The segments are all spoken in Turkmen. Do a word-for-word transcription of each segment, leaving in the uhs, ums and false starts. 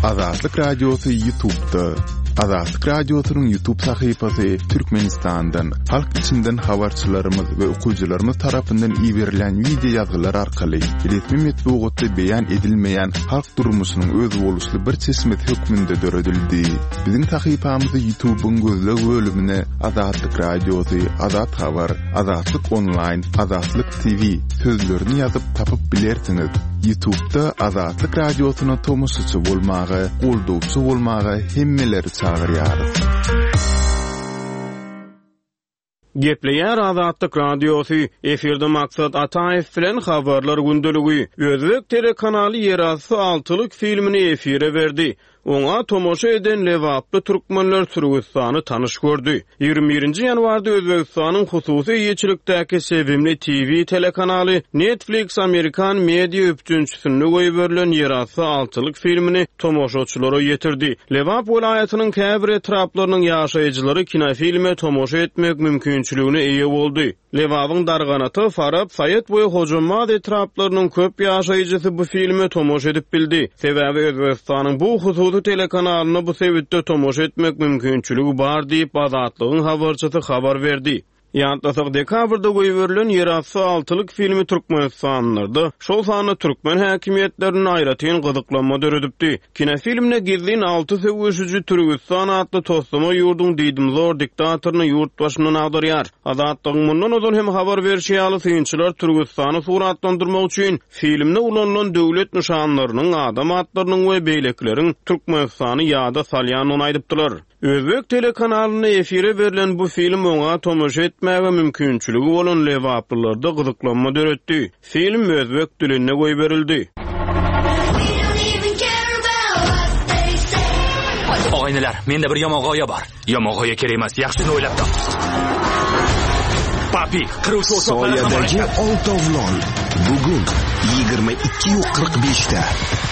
Azatlyk Radiosy YouTube'da. Azatlyk Radiosynyň YouTube sahypasy Türkmenistandan, halk içinden habarçylarymyz we okyjylarymyz tarapyndan iberilen wideo ýazgylar arkaly resmi metbugatda beýan edilmeýän halk durmuşynyň özboluşly bir çeşmesi hökmünde döredildi. Biziň sahypamyzy YouTube'yň gözleg bölümine Azatlyk Radiosy, Azat Habar, Azatlyk Online, Azatlyk T V sözlerini ýazyp tapyp bilersiňiz. YouTube'da Azatlyk Radiosyna tomaşaçy bolmaga, goldawçy bolmaga hemmeleri çagyrýarys. Gepleýär Azatlyk Radiosy, efirde Maksat Ataýew bilen habarlar gündeligi. Özbek telekanaly Ýerasty altylyk filmini efire berdi. Oňa tomaşa eden Lebaply türkmenler Türkistany tanyş gördü. ýigrimi birinji ýanwarda Özbegistanyň hususy eýeçilikdäki Sevimli T V telekanaly Netflix Amerikan media üpjünçisinde goýberilen Ýerasty altylyk filmini tomaşaçylara ýetirdi. Lebap welaýatynyň käbir etraplarynyň ýaşaýjylary kinofilme tomaşa etmek mümkinçiligine eýe boldy. Lebabyň Darganata, Farap, Saýat we Hojambaz etraplarynyň köp ýaşaýjysy bu filme tomaşa edip bildi. Sebäbi Özbegistanyň bu hususy telekanalyna bu sebitde tomaşa etmek mümkinçiligi bar diýip Azatlygyň habarçysy habar berdi. Ýatlasak, dekabrda goýberilen Ýerasty altylyk filmi Türkmenistanlarda, şol sanda türkmen häkimiýetlerinde aýratyn gyzyklanma döredipdi. Kinofilmde gizlin alty söweşiji Türkistan atly toslama ýurduň diýdimzor diktatoryny ýurt başyndan agdarýar. Azatlygyň mundan ozal hem habar berşi ýaly synçylar Türkistany suratlandyrmak üçin filmde ulanylan döwlet nyşanlarynyň, adam atlarynyň we beýlekileriň Türkmenistany ýada salýandygyny aýdypdylar. Özbek telekanalynda efire berlen bu film oňa tomaşa etmäge mümkinçiligi bolan Lebaplylarda gyzyklanma döretdi. Film özbek dilinde goýberildi. Og'aynilar, menda bir yomon g'oya bor. Yomon g'oya kerak emas, yaxshisini o'ylab top. Papi, qiruvchi o'choqlar Soyadagi oltovlon bugun yigirma ikki qirq beshda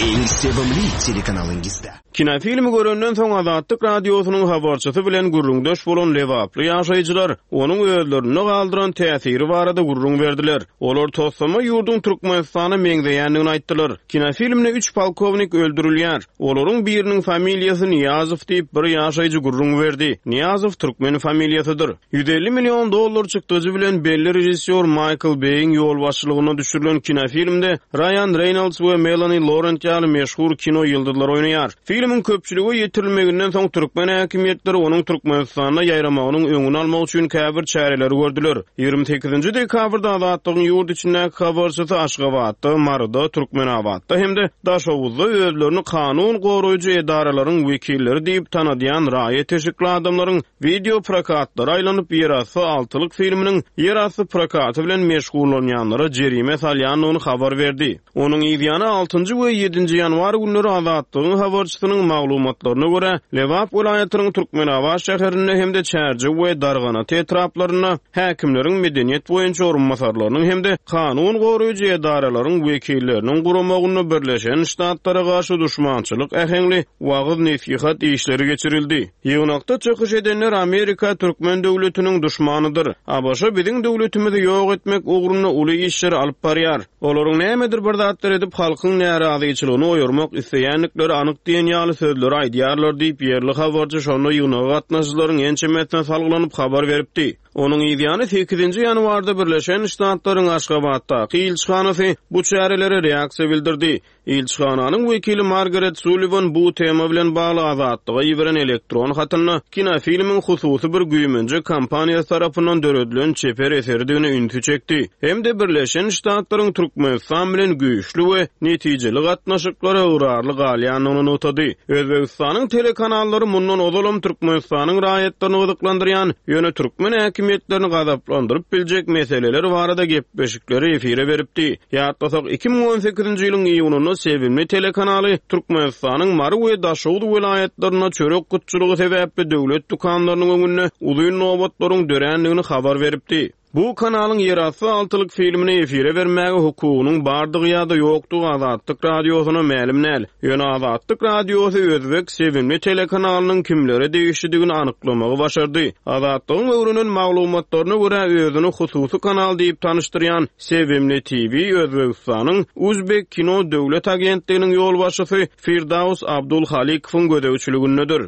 eng sevimli telekanalingizda. Kinofilmi görenden soň Azatlyk Radiosynyň habarçysy bilen gürrüňdeş bolan Lebaply ýaşaýjylar onuň özlerinde galdyran täsiri barada gürrüň berdiler. Olar toslama ýurduň Türkmenistana meňzeýändigini aýtdylar. Kinofilmde üç polkownik öldürilýär. Olaryň biriniň familiýasy Niýazow diýip bir ýaşaýjy gürrüň berdi. Niýazow türkmen familiýasydyr. ýüz elli million dollar çykdajy bilen belli režissýor Michael Bay'in ýolbaşçylygynda düşürilen kinofilmde Ryan Reynolds we Melanie Laurent ýaly meşhur kino ýyldyzlary oýnaýar. Filmiň köpçülige ýetirilmeginden soň türkmen häkimiýetleri onuň Türkmenistanda ýaýramagynyň öňüni almak üçin käbir çäreleri gördüler. ýigrimi sekizinji dekabrda Azatlygyň ýurt içindäki habarçysy Aşgabatda, Maryda, Türkmenabatda hem-de Daşoguzda özlerini kanun goraýjy edaralaryň wekilleri diýip tanadýan raýat eşikli adamlaryň video prokatlary aýlanyp Ýerasty altylyk filminiň ýerasty prokaty bilen meşgullanýanlara jerime salýandygyny habar berdi. Onuň ýany altynjy we ýedinji ýanwar günleri Azatlygyň habarçysynyň maglumatlaryna görä, Lebap welaýatynyň Türkmenabat şäherinde hem-de Çärjew we Darganata etraplarynda häkimleriň medeniýet boýunça orunbasarlarynyň hem-de kanun goraýjy edaralaryň wekilleriniň guramagynda Birleşen Ştatlara garşy duşmançylyk äheňli wagyz-nesihat işleri geçirildi. Ýygnakda çykyş edenler Amerika türkmen döwletiniň duşmanydyr. A B Ş biziň döwletimizi ýok etmek ugrunda uly işleri alyp barýar. Olaryň nämedir bir zatlar edip halkyň närazyçylygyny oýurmak isleýändikleri anyk diýen ýaly sözleri aýdýarlar diýip ýerli habarçy şonda ýygnaga gatnaşyjylaryň ençemesine salgylanyp habar beripdi. Onuň ýany sekizinji ýanwarda Birleşen Ştatlaryň Aşgabatdaky ilçihanasy bu çärelere reaksiýa bildirdi. Ilçihananyň wekili Margaret Sullivan bu tema bilen bagly Azatlyga iberen elektron hatynda kinofilmiň hususy bir güýmenje kompaniýasy tarapyndan döredilen çeper eseridigine ünsi çekdi. Hem-de Birleşen Ştatlaryň Türkmenistan bilen güýçli we netijeli gatnaşyklara ygrarly galýandygyny nygtady. Özbegistanyň telekanallary mundan ozalam Türkmenistanyň raýatlaryny gyzyklandyrýan, ýöne türkmen häkimiýetlerini gazaplandyryp biljek meseleler barada gepleşikleri efire beripdi. Ýatlasak, iki müň on sekizinji ýylyň iýunynda Sevimli telekanaly Türkmenistanyň Mary we Daşoguz welaýatlarynda çörek gytçylygy sebäpli döwlet dükanlarynyň öňünde uzyn nobatlaryň dörändigini habar beripdi. Bu kanalyň Ýerasty altylyk filmini efire bermäge hukugynyň bardygy ýa-da ýokdugy Azatlyk Radiosyna mälim däl. Ýöne Azatlyk Radiosy Özbek Sevimli telekanalynyň kimlere degişlidigini anyklamagy başardy. Azatlygyň öwrenen maglumatlaryna görä özüni hususy kanal diýip tanyşdyrýan Sevimli T V Özbegistanyň Uzbek Kino Döwlet Agentliginiň ýolbaşçysy Firdaus Abdulhalikowyň gözegçiligindedir.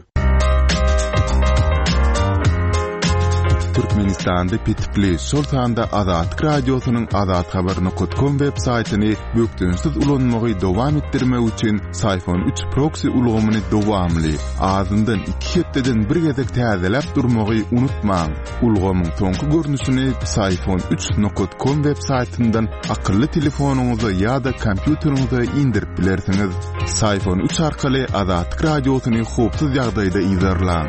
Türkmenistanda petikli, şol sanda Azatlyk Radiosynyň azathabar nokta com web saýtyny bökdençsiz ulanmagy dowam etdirmek üçin Syfon üç proxy ulgamyny dowamly, azyndan iki hepdeden bir gezek täzeläp durmagy unutmaň. Ulgamyň soňky görnüşini Syfon üç nokta com web saýtyndan akylly telefonyňyza ýa-da kompýuteriňize indirip bilersiňiz. Syfon üç arkaly Azatlyk Radiosyny howpsuz ýagdaýda yzarlaň.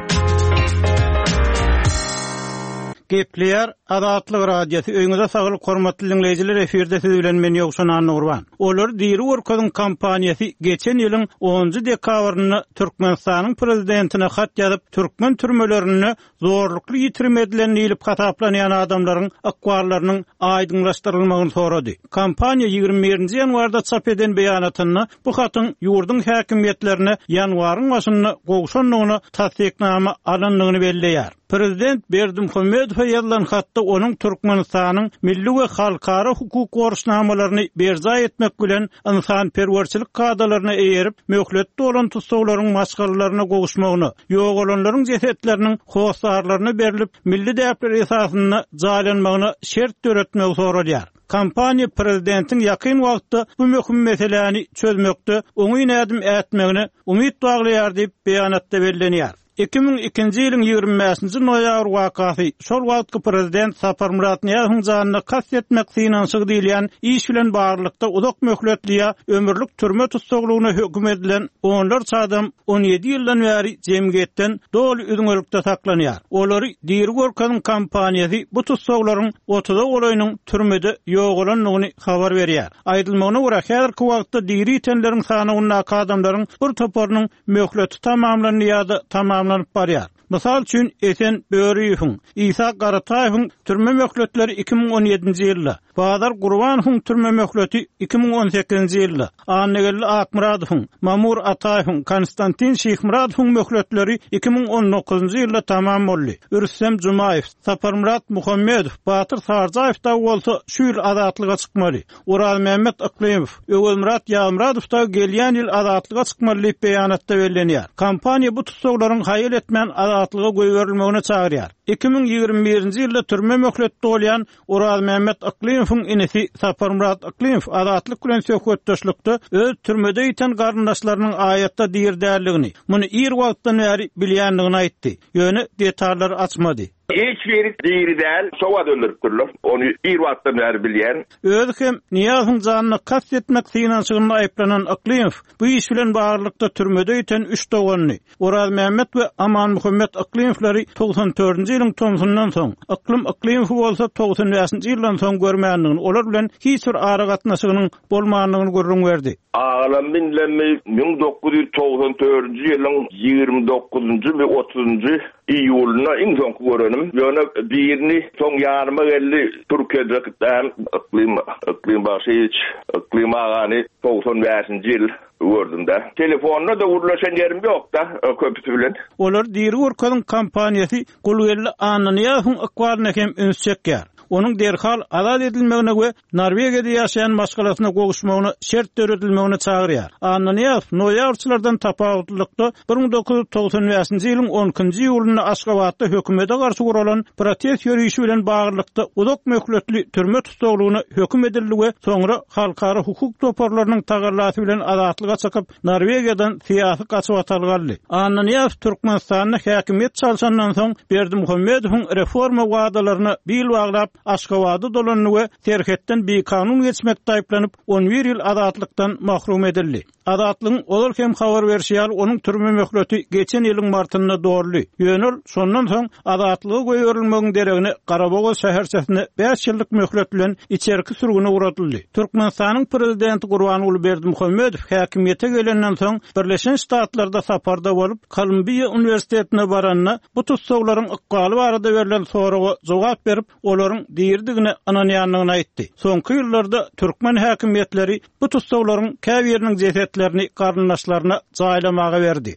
Gepleýär Azatlyk Radiosy. Öýüňize saglyk hormatly dinleýjiler, efirde siz bilen men Ýowşan Annagurban. Olar Diri Görkeziň kompaniýasy geçen ýylyň onunjy dekabrynda Türkmenistanyň prezidentine hat ýazyp, türkmen türmelerinde zorlukly ýitirim edilen diýlip hasaplanýan adamlaryň ykballarynyň aýdyňlaşdyrylmagyny sorady. Kompaniýa ýigrimi birinji ýanwarda çap eden beýanatynda bu hatyň ýurduň häkimiýetlerine ýanwaryň başynda gowşandygyny tassyknama alandygyny belleýär. Prezident Berdimuhamedowa ýazylan hatda onuň Türkmenistanyň milli we halkara hukuk borçnamalaryny berjaý etmek bilen ynsanperwerçilik kadalaryna eýerip, möhletli bolan tussaglaryň maşgalalaryna gowuşmagyna, ýogalanlaryň jesetleriniň hossarlaryna berlip, milli däpler esasynda jaýlanmagyna şert döretmegi soralýar. Kompaniýa prezidentiň ýakyn wagtda bu möhüm meseläni çözmekde oňyn ädim ätmegine umyt baglaýar diýip beýanatda bellenýär. Iki müň ikinji ýylyň ýigrimi bäşinji noýabr wakasy şol wagtky prezident Saparmyrat Nyýazowyň janyna kast etmek synanyşygy diýilýän iş bilen baglylykda uzak möhletli ýa ömürlik türme tussaglygyna höküm edilen onlarça adam on ýedi ýyldan bäri jemgyýetden doly üzňelikde saklanýar. Olary Diri Görkeziň kompaniýasy bu tussaglaryň otuza golaýynyň türmede ýogalandygyny habar berýär. Aýdylmagyna görä, häzirki wagtda diri itenleriň sanawyndaky adamlaryň bir toparynyň möhleti tamamlandy ýa-da tamamlanyp barýar. Mysal üçin Esen Böriýewiň, Isa Garataýewiň türme möhletleri iki müň on ýedinji ýylda, Bazar Gurbanowyň türme möhleti iki müň on sekizinji ýylda, Annageldi Akmyradowyň, Mamur Ataýewiň, Konstantin Şihmyradowyň möhletleri iki müň on dokuzynjy ýylda tamam boldy. Rüstem Jumaýew, Saparmyrat Muhammedow, Batyr Sarjaýew da bolsa şu ýyl azatlyga çykmaly. Orazmämmet Yklymow, Öwezmyrat Ýazmyradow da gelýän ýyl azatlyga çykmaly diýip beýanatda bellenýär. Kompaniýa bu tussaglaryň haýal etmän azatlyga goýberilmegine çagyrýar. Iki müň ýigrimi birinji ýylda türme möhleti dolýan Orazmämmet Yklymowyň inisi Saparmyrat Yklymow azatlyk bilen söhbetdeşlikde öz türmede ýiten garyndaşlarynyň aýatda dirdäldigini, muny ir wagtdan bäri bilýändigini aýtdy. Ýöne detallary açmady. Hiç biri diri däl, şowa döndüripdirler. Ony ir wagtdan bäri bilýän. Özi hem Nyýazowyň janyna kast etmek synanyşygynda aýyplanan Yklymow bu iş bilen baglylykda türmede ýiten üç doganyny, Orazmämmet we Amanmuhammet Yklymowlary togsan dördünji ýylyň tomsundan soň, Yklym Yklymowy bolsa togsan bäşinji ýyldan soň görmändigini, olar bilen hiç bir aragatnaşygynyň bolmandygyny gürrüň berdi. Agalam binlemi müň dokuz ýüz togsan dördünji ýylyň ýigrimi dokuzynjy we otuzynjy iýulynda iň soňky görenim. Ýöne birini soň ýanyma geldi, Türkiýede gitdim, Yklym, Yklym Bagşyýewiç, Yklym agany togsan bäşinji ýyl gördüm de. Telefonda da gürleşen ýerim ýok da, köpüsi bilen. Olar Diri Görkeziň kompaniýasy Gulgeldi Annanyýazowyň ykbalyna hem üns çekýär. Onuň derhal azat edilmegine we Norwegiýada ýaşaýan maşgalasyna gowuşmagyna şert döredilmegine çagyrýar. Annanyýazow noýabrçylardan tapawutlylykda bir müň dokuz ýüz togsan bäşinji ýylyň on ikinji iýulynda Aşgabatda hökümete garşy guralan protest ýörişi bilen baglylykda uzak möhletli türme tussaglygyna höküm edildi we soňra halkara hukuk toparlarynyň tagallasy bilen azatlyga çykyp Norwegiýadan syýasy gaçybatalga aldy. Annanyýazow Türkmenistanda häkimiýet çalşandan soň Berdimuhamedowyň reforma wadalaryna bil baglap Aşgabada dolandy we serhetden bikanun geçmekde aýyplanyp on bir ýyl azatlykdan mahrum edildi. Azatlygyň ozal hem habar berşi ýaly onuň türme möhleti geçen ýylyň martynda doldy. Ýöne ol şondan soň azatlyga goýberilmegiň deregine Garabogaz şäherçesine bäş ýyllyk möhlet bilen içerki sürgüne ugradyldy. Türkmenistanyň prezidenti Gurbanguly Berdimuhamedow häkimiýete gelenden soň Birleşen Ştatlarda saparda bolup, Kolumbiýa uniwersitetine baranda bu tussaglaryň ykbaly barada berlen soraga jogap berip, olaryň diridigine ynanýandygyny aýtdy. Soňky ýyllarda türkmen häkimiýetleri bu tussaglaryň käbiriniň jesetlerini garyndaşlaryna jaýlamaga berdi.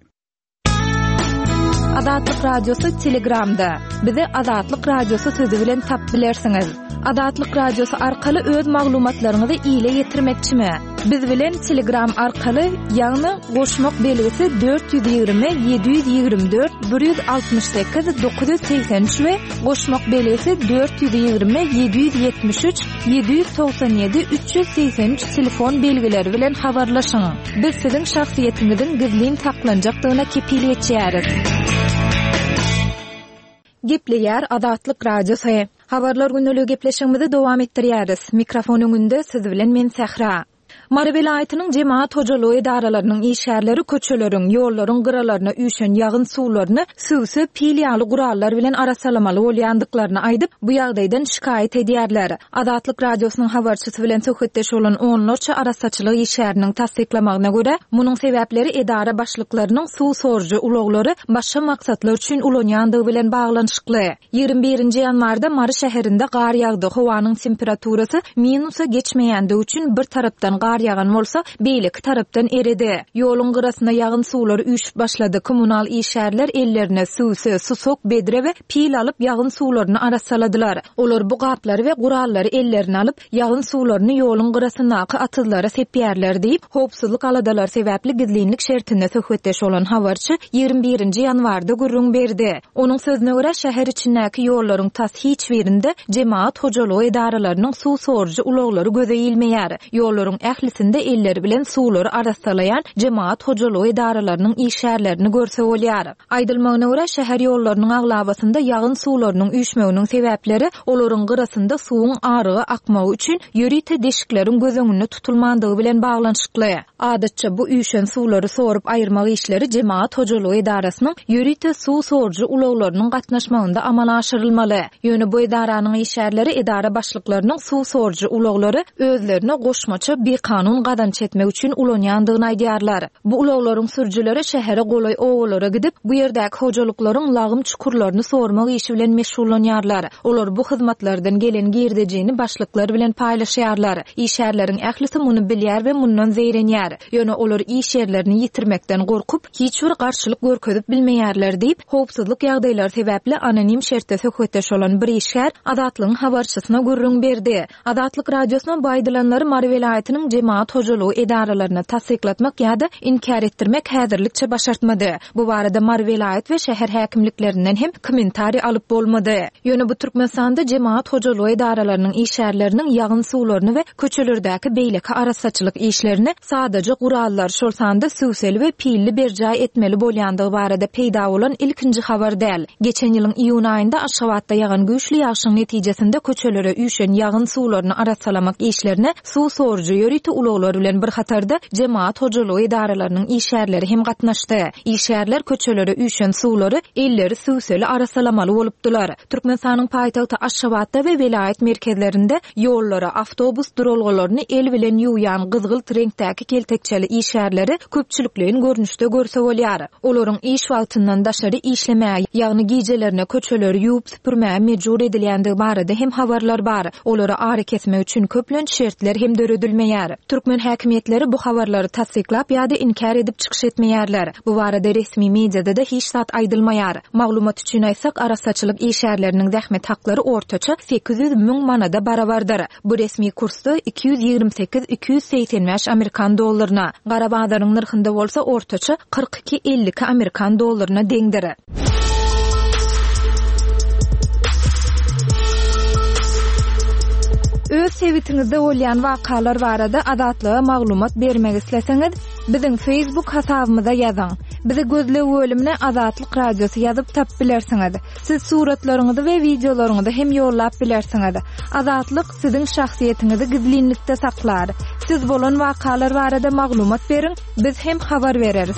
Azatlyk Radiosy Telegramda. Bizi Azatlyk Radiosy sözi bilen tap bilersiňiz. Azatlyk Radiosy arkaly öz maglumatlaryňyzy ile ýetirmekçimi? Biz bilen Telegram arkaly, ýagny goşmak belgisi dört ýüz ýigrimi ýedi ýüz ýigrimi dört bir ýüz altmyş sekiz dokuz ýüz segsen üç we goşmak belgisi dört ýüz ýigrimi ýedi ýüz ýetmiş üç ýedi ýüz togsan ýedi üç ýüz segsen üç telefon belgileri bilen habarlaşyň. Biz siziň şahsyýetiňiziň gizlin saklanjakdygyna kepil geçýäris. Gepleýär Azatlyk Radiosy. Habarlar günlügi gepleşigimizi dowam etdirýäris. Mikrofon öňünde siz bilen men Sähra. Mary welaýatynyň jemaat hojalygy edaralarynyň işgärleri köçeleriň, ýollaryň gyralaryna üýşen ýagyn suwlaryny süwse pil ýaly gurallar bilen arassalamaly bolýandyklaryny aýdyp, bu ýagdaýdan şikaýat edýärler. Azatlyk Radiosynyň habarçysy bilen söhbetdeş bolan onlarça arassaçylyk işgäriniň tassyklamagyna görä, munuň sebäpleri edara başlyklarynyň suw sorujy ulaglary başga maksatlar üçin ulanýandygy bilen baglanyşykly. Ýigrimi birinji ýanwarda Mary şäherinde gar ýagdy, howanyň temperaturasy minusa geçmeýändigi üçin bir tarapdan gar ýagan bolsa, beýleki tarapdan eredi. Ýoluň gyrasyna ýagyn suwlary üýşüp başlady. Kommunal işgärler ellerine süwse, susok, bedre we pil alyp ýagyn suwlaryny arassaladylar. Olar bu gaplary we gurallary ellerine alyp, ýagyn suwlaryny ýoluň gyrasyndaky atyzlara sepýärler diýip, howpsuzlyk aladalary sebäpli gizlinlik şertinde söhbetdeş bolan habarçy ýigrimi birinji ýanwarda gürrüň berdi. Onuň sözüne görä, şäher içindäki ýollaryň tas hiç birinde jemaat hojalygy edaralarynyň suw sorujy ulaglary göze ilmeýär. Ýollaryň ählisinde elleri bilen suwlary arassalaýan jemaat hojalygy edaralarynyň işgärlerini görse bolýar. Aýdylmagyna görä, şäher ýollarynyň aglabasynda ýagyn suwlarynyň üýşmeginiň sebäpleri olaryň gyrasynda suwuň aryga akmagy üçin ýörite deşikleriň göz öňünde tutulmandygy bilen baglanyşykly. Adatça bu üýşen suwlary sorup aýyrmak işleri jemaat hojalygy edarasynyň ýörite suw sorujy ulaglarynyň gatnaşmagynda amala aşyrylmaly. Ýöne bu edaranyň işgärleri edara başlyklarynyň suw sorujy ulaglary özlerine goşmaça bikanun gazanç etmek üçin ulanýandygyny aýdýarlar. Bu ulaglaryň sürüjileri şähere golaý obalara gidip, bu ýerdäki hojalyklaryň lagym çukurlaryny sormak işi bilen meşgullanýarlar. Olar bu hyzmatlardan gelen girdejini başlyklar bilen paýlaşýarlar. Işgärleriň ählisi muny bilýär we mundan zeýrenýär. Ýöne olar iş ýerlerini ýitirmekden gorkup, hiç bir garşylyk görkezip bilmeýärler diýip, howpsuzlyk ýagdaýlary sebäpli anonim şertde söhbetdeş bolan bir işgär Azatlygyň habarçysyna gürrüň berdi. Azatlyk Radiosyna bu aýdylanlary Mary welaýatynyň jemaat hojalygy edaralaryna tassyklatmak ýa-da inkär etdirmek häzirlikçe başartmady. Bu barada Mary welaýat we şäher häkimliklerinden hem kommentariý alyp bolmady. Ýöne bu Türkmenistanda jemaat hojalygy edaralarynyň işgärleriniň ýagyn suwlaryny we köçelerdäki beýleki arassaçylyk işlerini sadaja gurallar, şol sanda süwseli we pilli berjaý etmeli bolýandygy barada peýda bolan ilkinji habar däl. Geçen ýylyň iýun aýynda Aşgabatda ýagan güýçli ýagşyň netijesinde köçelere üýşen ýagyn suwlaryny arassalamak işlerine suw sorujy ýörite ulaglar bilen bir hatarda jemaat hojalygy edaralarynyň işgärleri hem gatnaşdy. Işgärler köçelere üýşen suwlary elleri süwseli arassalamaly bolupdylar. Türkmenistanyň paýtagty Aşgabatda we welaýat merkezlerinde ýollara, awtobus duralgalaryny el bilen ýuwýan gyzgylt reňkdäki keltekçeli işgärleri köpçülikleýin görnüşde görse bolýar. Olaryň iş wagtyndan daşary işlemäge, ýagny gijelerine köçeleri ýuwup süpürmäge mejbur edilýändigi barada hem habarlar bar. Olara ara kesmek üçin köplenç şertler hem döredilmeýär. Türkmen häkimiýetleri bu habarlary tassyklap ýa-da inkär edip çykyş etmeýärler. Bu barada resmi mediada-da hiç zat aýdylmaýar. Maglumat üçin aýtsak, arassaçylyk işgärleriniň zähmet haklary ortaça sekiz ýüz müň manada barabardyr. Bu resmi kursda iki ýüz ýigrimi sekiz iki ýüz segsen bäş amerikan dollaryna, gara bazaryň nyrhynda bolsa ortaça kyrk iki elli iki amerikan dollaryna deňdir. Öz sebitiňizde bolýan wakalar barada Azatlyga maglumat bermek isleseňiz, biziň Facebook hasabymyza ýazyň. Bizi gözleg bölümine Azatlyk Radiosy ýazyp tap bilersiňiz. Siz suratlaryňyzy we wideolaryňyzy hem ýollap bilersiňiz. Azatlyk siziň şahsyýetiňizi gizlinlikde saklar. Siz bolan wakalar barada maglumat beriň, biz hem habar bereris.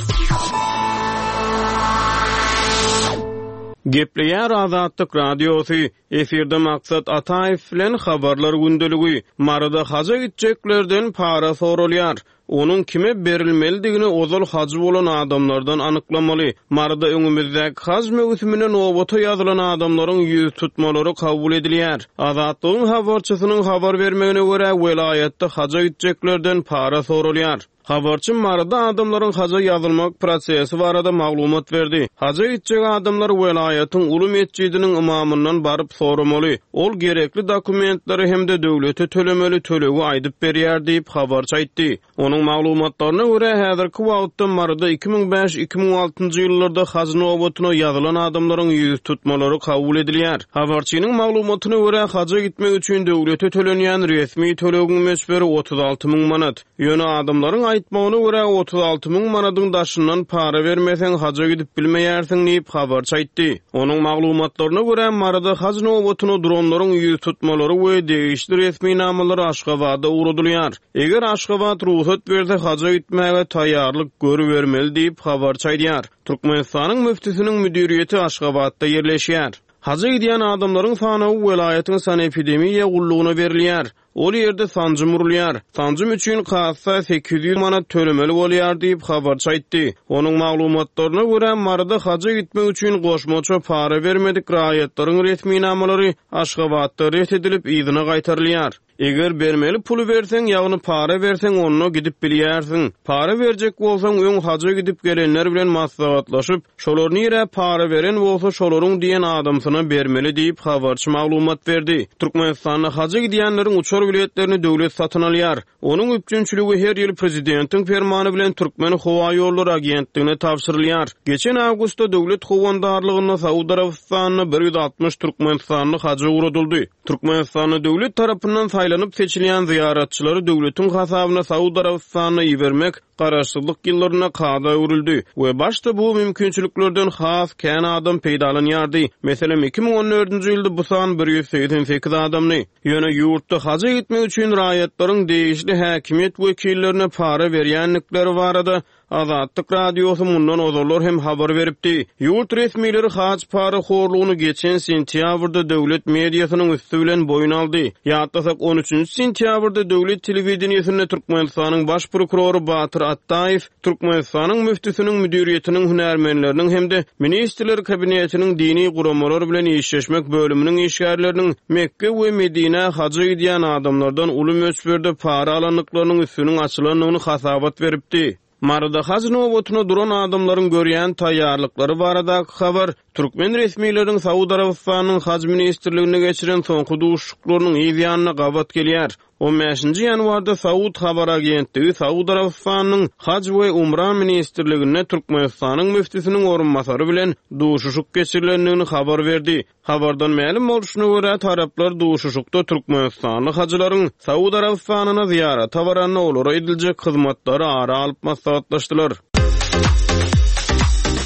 Gepleýär Azatlyk Radiosy, efirde Maksat Ataýew bilen Habarlar gündeligi. Maryda haja gitjeklerden para soralýar. Onuň kime berilmelidigini ozal hajy bolan adamlardan anyklamaly. Maryda öňümizdäki haj möwsümine nobata ýazylan adamlaryň ýüz tutmalary kabul edilýär. Azatlygyň habarçysynyň habar bermegine görä, welaýatda haja gitjeklerden para soralýar. Habarçy Maryda adamlaryň haja ýazylmak prosesi barada maglumat berdi. Haja gitjek adamlar welaýatyň uly metjidiniň ymamyndan baryp soramaly. Ol gerekli dokumentleri hem-de döwlete tölemeli tölegi aýdyp berýär diýip habarçy aýtdy. Onuň maglumatlaryna görä, häzirki wagtda Maryda iki müň bäş iki müň altynjy ýyllarda haj nobatyna ýazylan adamlaryň ýüz tutmalary kabul edilýär. Habarçynyň maglumatyna görä, haja gitmek üçin döwlete tölenýän resmi tölegiň möçberi otuz alty müň manat. Ýöne adamlaryň aýtmagyna görä, otuz alty müň manadyň daşyndan para bermeseň haja gidip bilmeýärsiň diýip habarçy aýtdy. Onuň maglumatlaryna görä, Maryda haj nobatyna duranlaryň ýüz tutmalary we degişli resminamalary Aşgabada ugradylýar. Eger Aşgabat rugsat berse haja gitmäge taýýarlyk görübermeli diýip habarçy aýdýar. Türkmenistanyň müftüsiniň müdiriýeti Aşgabatda ýerleşýär. Haja gidýän adamlaryň sanawy welaýatyň sanepidemiýa gullugyna berilýär. Ol ýerde sanjym urulýar. Sanjym üçin kassa sekiz ýüz manat tölemeli bolýar diýip habarçy aýtdy. Onuň maglumatlaryna görä, Maryda haja gitmek üçin goşmaça para bermedik raýatlaryň resminamalary Aşgabatda ret edilip yzyna gaýtarylýar. Eger bermeli puly berseň, ýagny para berseň, onda gidip bilýärsiň. Para berjek bolsaň, öň haja gidip gelenler bilen maslahatlaşyp, şolar nirä para beren bolsa, şolaryň diýen adamsyna bermeli diýip habarçy maglumat berdi. Türkmenistanda haja gidýänleriň uçar biletlerini döwlet satyn alýar. Onuň üpjünçiligi her ýyl prezidentiň fermany bilen Türkmen Howa Ýollary agentligine tabşyrylýar. Geçen awgustda döwlet howandarlygynda Saud Arabystanyna bir ýüz altmyş Türkmenistanly haja ugradyldy. Türkmenistanda döwlet tarapyndan saýlanyp seçilýän zyýaratçylary döwletiň hasabyna Saud Arabystanyna ibermek garaşsyzlyk ýyllarynda kada öwrüldi we başda bu mümkinçiliklerden has kän adam peýdalanýardy. Meselem, iki müň on dördünji ýylda bu san bir ýüz segsen sekiz adamdy. Ýöne ýurtda haja gitmek üçin raýatlaryň degişli häkimiýet wekillerine para berýändikleri barada Azatlyk Radiosy mundan ozallar hem habar beripdi. Ýurt resmileri hac para horlugyny geçen sentýabrda döwlet mediasynyň üstü bilen boýun aldy. Ýatlasak on üçünji sentýabrda döwlet telewideniýesinde Türkmenistanyň baş prokurory Batyr Atdaýew Türkmenistanyň müftüsiniň müdiriýetiniň hünärmenleriniň hem-de Ministrler Kabinetiniň dini guramalar bilen işleşmek bölüminiň işgärleriniň Mekke we Medine haja gidýän adamlardan uly möçberde para alandyklarynyň üstüniň açylandygyny hasabat beripdi. Maryda hac nobatyna duran adamlaryň görýän taýýarlyklary baradaky habar Türkmen resmileriniň Saud Arabystanyň Hac Ministrligine geçiren soňky duşuşyklarynyň yz ýanyna gabat gelýär. on bäşinji ýanwarda Saud Habar Agentligi Saud Arabystanyň Hac we Umra Ministrliginde Türkmenistanyň müftüsiniň orunbasary bilen duşuşyk geçirilendigini habar berdi. Habardan mälim bolşuna görä, taraplar duşuşykda Türkmenistanly hajylaryň Saud Arabystanyna zyýarata baranda olara ediljek hyzmatlary ara alyp maslahatlaşdylar.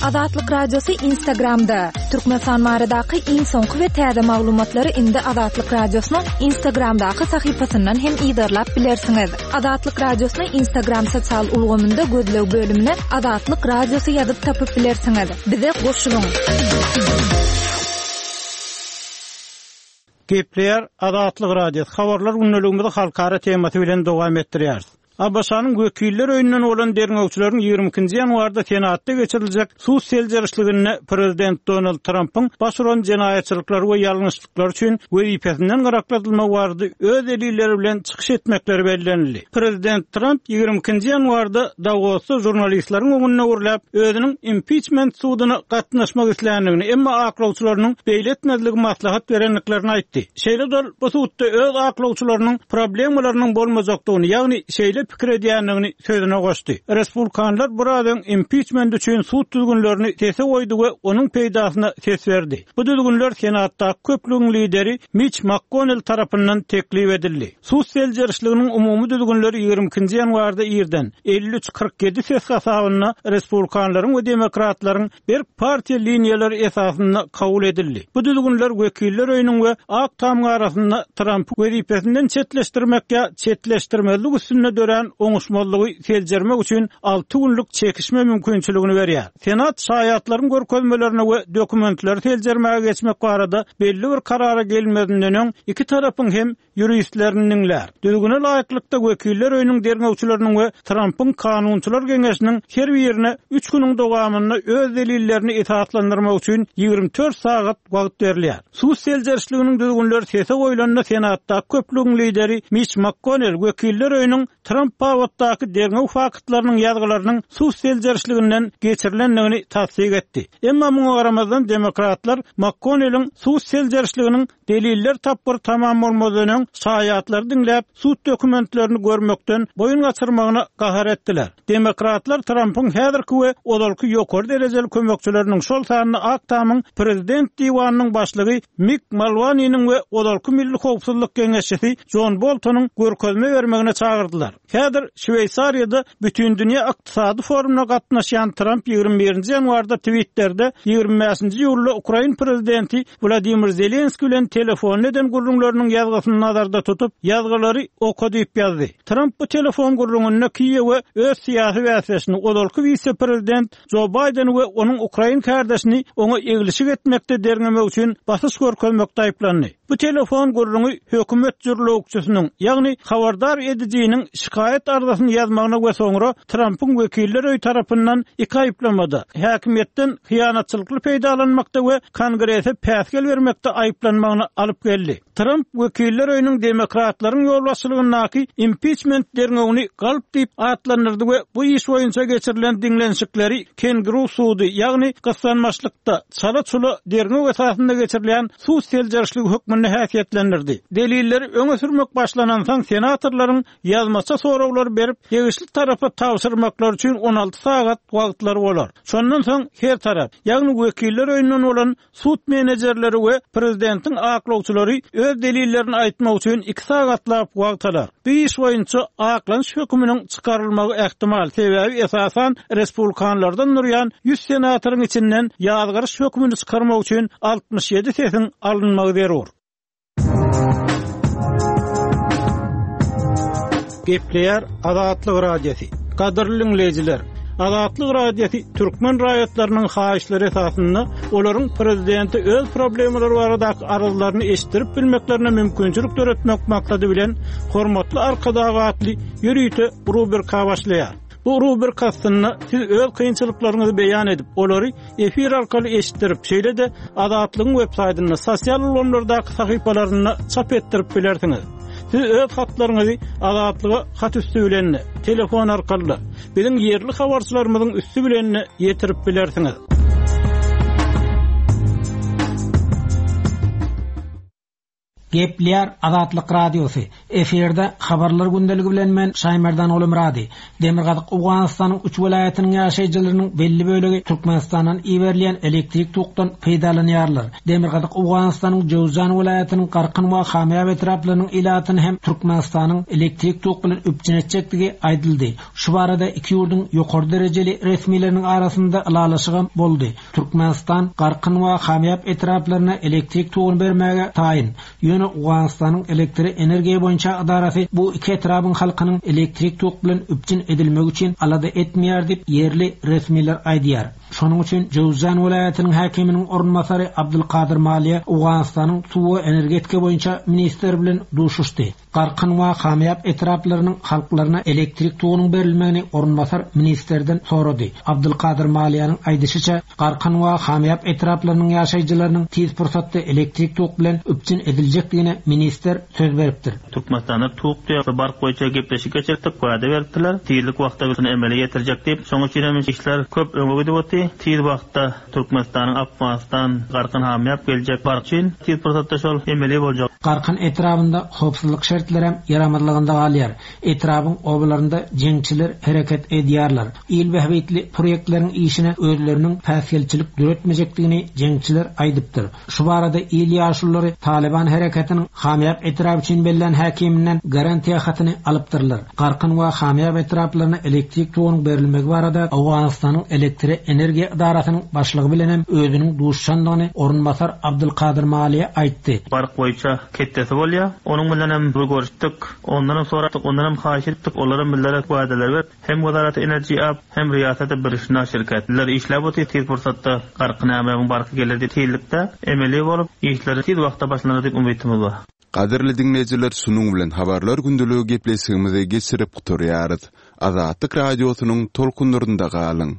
Azatlyk Radiosy Instagramda. Türkmenistan baradaky iň soňky we täze maglumatlary indi Azatlyk Radiosynyň Instagramdaky sahypasyndan hem yzarlap bilersiňiz. Azatlyk Radiosyny Instagram sosial ulgamynda gözleg bölümine Azatlyk Radiosy ýazyp tapyp bilersiňiz. Bize goşulyň. Gepleýär Azatlyk Radiosy. Habarlar gündeligimizi halkara temasy bilen dowam etdirýäris. ABŞ-nyň wekiller öýünden bolan derňewçileriň ýigrimi ikinji ýanwarda Senatda geçiriljek sud seljerişliginde Prezident Donald Trumpyň baş uran jenaýatçylyklary we ýalňyşlyklary üçin wezipesinden gyrakladylmagy barada öz delilleri bilen çykyş etmekleri bellenildi. Prezident Trump ýigrimi ikinji ýanwarda Davosda žurnalistleriň öňünde gürläp, özüniň impeachment suduna gatnaşmak isländigini, emma aklawçylarynyň beýle etmezligi maslahat berendiklerini aýtdy. Şeýle-de ol bu sudda öz aklawçylarynyň problemalarynyň bolmajakdygyny, ýagny şeýle pikir edýändigini sözüne goşdy. Respublikanlar biraz öň impeachment üçin sud düzgünlerini sese goýdy we onuň peýdasyna ses berdi. Bu düzgünler Senatda köplügiň lideri Mitch McConnell tarapyndan teklip edildi. Sud seljerişliginiň umumy düzgünleri ýigrimi ikinji ýanwarda irden elli üç kyrk ýedi ses hasabynda respublikanlaryň we demokratlaryň berk partiýa liniýalary esasynda kabul edildi. Bu düzgünler wekiller öýüniň we Ak Tamyň arasynda Trump wezipesinden çetleşdirmek ýa çetleşdirmezlik üstünde dörän dörän oňuşmazlygy seljermek üçin alty günlük çekişme mümkinçiligini berýär. Senat şaýatlaryň görkezmelerini we dokumentleri seljermäge geçmek barada belli bir karara gelmezinden öň iki tarapyň hem ýuristlerini diňlär. Düzgüne laýyklykda wekiller öýüniň derňewçileriniň we Trampyň kanunçylar geňeşiniň her birine üç günüň dowamynda öz delillerini esaslandyrmak üçin ýigrimi dört sagat wagt berilýär. Sud seljerişliginiň düzgünleri sese goýlanda Senatda köplügiň lideri Mitch McConnell wekiller öýüniň Tramp babatdaky derňew faktlarynyň ýazgylarynyň sud seljerişliginden geçirilendigini tassyk etdi. Emma muňa garamazdan demokratlar McConnelliň sud seljerişliginiň deliller tapgyr tamam bolmazdan öň şaýatlary diňläp sud dokumentlerini görmekden boýun gaçyrmagyna gahar etdiler. Demokratlar Trampyň häzirki we ozalky ýokary derejeli kömekçileriniň şol sanda Ak Tamyň prezident diwanynyň başlygy Mick Mulvaney'niň we ozalky milli howpsuzlyk geňeşçisi John Boltonyň görkezme bermegine çagyrdylar. Häzir Şweýsariýada bütün dünýä ykdysady forumyna gatnaşýan Tramp ýigrimi birinji ýanwarda Twitter'de ýigrimi bäşinji iýulda Ukraina prezidenti Wladimir Zelenskiý bilen telefon eden gürrüňleriniň ýazgysyny nazarda tutup, ýazgylary oka diýip ýazdy. Tramp bu telefon gürrüňinde Kiýewe öz syýasy bäsdeşini ozalky wise-prezident Joe Biden we onuň Ukraina kardeşini oňa eglişik etmekde derňemek üçin basyş görkezmekde aýyplandy. Bu telefon gürrüňi hökümet jürlewükçisiniň, ýagny habardar edijiniň şikaýat arzasyny ýazmagyna we soňra Trampyň wekiller öýi tarapyndan iki aýyplamada, häkimiýetden hyýanatçylykly peýdalanmakda we kongrese päsgel bermekde aýyplanmagyna alyp geldi. Tramp wekiller öýüniň demokratlaryň ýolbaşçylygyndaky impeachment derňewini galp diýip atlandyrdy we bu iş boýunça geçirilen diňlenişikleri kenguru sudy, ýagny gyssanmaçlykda çala-çula derňew esasynda geçirilen sud seljerişligi hökmünde häsiýetlendirdi. Delilleri öňe sürmek başlanansoň senatorlaryň ýazmaça soraglary berip, degişli tarapa tabşyrmaklar üçin on alty sagat wagtlary bolar. Şondan soň her tarap, ýagny wekiller öýünden bolan sud menejerleri we prezidentiň aklawçylary öz delillerini aýtmak üçin iki sagatlap wagt alar. Bu iş boýunça aklanyş höküminiň çykarylmagy ähtimal, sebäbi esasan respublikanlardan durýan ýüz senatoryň içinden ýazgaryş hökümini çykarmak üçin altmyş ýedi sesiň alynmagy zerur. Gepleýär Azatlyk Radiosy. Gadyrly dinleýjiler, Azatlyk Radiosy türkmen raýatlarynyň haýyşlary esasynda olaryň prezidenti öz problemalary baradaky arzlaryny eşitdirip bilmeklerine mümkinçilik döretmek maksady bilen Hormatly Arkadag atly ýörite rubrika başlaýar. Bu rubrika astynda siz öz kynçylyklaryňyzy beýan edip, olary efir arkaly eşitdirip, şeýle-de Azatlygyň web saýtynda, sosial ulgamlardaky sahypalarynda çap etdirip bilersiňiz. Siz öz hatlaryňyzy Azatlyga hat üstü bilen, telefon arkaly, biziň ýerli habarçylarymyzyň üstü bilen ýetirip bilersiňiz. Gepleýär Azatlyk Radiosy. Efirde habarlar gündeligi bilen men Şaýmerdan Oglumyrady. Demirgazyk Owganystanyň üç welaýatynyň ýaşaýjylarynyň belli bölegi Türkmenistandan iberilýän elektrik tokdan peýdalanýarlar. Demirgazyk Owganystanyň Jowzjan welaýatynyň Garkyn we Hamyýap etraplarynyň ilatyny hem Türkmenistanyň elektrik tok bilen üpjün etjekdigi aýdyldy. Şu barada iki ýurduň ýokary derejeli resmileriniň arasynda ylalaşygam boldy. Türkmenistan Garkyn we Hamyýap etraplaryna elektrik toguny bermäge taýyn. Ýöne Owganystanyň elektrik energiýa boýunça edarasy bu iki etrabyn halkynyň elektrik tok bilen üpjün edilmegi üçin alada etmeýär diýip ýerli resmiler aýdýar. Şonuň üçin Jowzjan welaýatynyň häkiminiň orunbasary Abdulkadir Maliýe Owganystanyň suw we energetika boýunça ministr bilen duşuşdy. Garkyn we Hamyýap etraplarynyň halklaryna elektrik togunyň berilmegini orunbasar ministrden sorady. Abdulkadir Maliýanyň aýdyşyça, Garkyn we Hamyýap etraplarynyň ýaşaýjylarynyň tiz pursatda elektrik tok bilen üpjün ediljekdigine ministr söz beripdir. Türkmenistanda tok diýip bark boýunça gepleşik geçirdik, wada beripdiler. Tizlik wagtda bilen emele getirjek diýip, soň üçin hem işler köp öňe gidip otdy. Tiz wagtda Türkmenistanyň Afganistan Garkyn Hamyýap geljek bark üçin tiz pursatda şol emele boljak. Garkyn etrabynda howpsuzlyk şertleri hem ýaramazlygynda galýar. Etrabyn obalarynda jeňçiler hereket edýärler. Il bähbitli proýektleriň işine özleriniň päsgelçilik döretmejekdigini jeňçiler aýdypdyr. Şu barada il ýaşululary Taliban hereketiniň şereketiniň Hamyýap etraby üçin bellän häkiminden garantiýa hatyny alypdyrlar. Garkyn we Hamyýap etraplaryna elektrik togunyň berilmegi barada Owganystanyň elektrik energiýa edarasynyň başlygy bilen hem özüniň duşandygyny orunbasar Abdulkadir Maliýe aýtdy. Bark boýunça ketdesi bolýar. Onuň bilen hem bir görüşdik. Ondan hem soradyk, ondan hem haýyş etdik. Olara millere wadalar berip, hem Wezaret Enerji ap, hem Riýasat Birişna şirketler işläp otyr tiz pursatda Garkyn Hamyýabyň barky gelir tizlikde emeli bolup, işleri tiz wagtda başlanar diýip umytymyz bar. Gadyrly dinleýjiler, şunuň bilen habarlar gündeligi gepleşigimizi geçirip gutarýarys. Azatlyk radiosynyň tolkunlarynda galyň.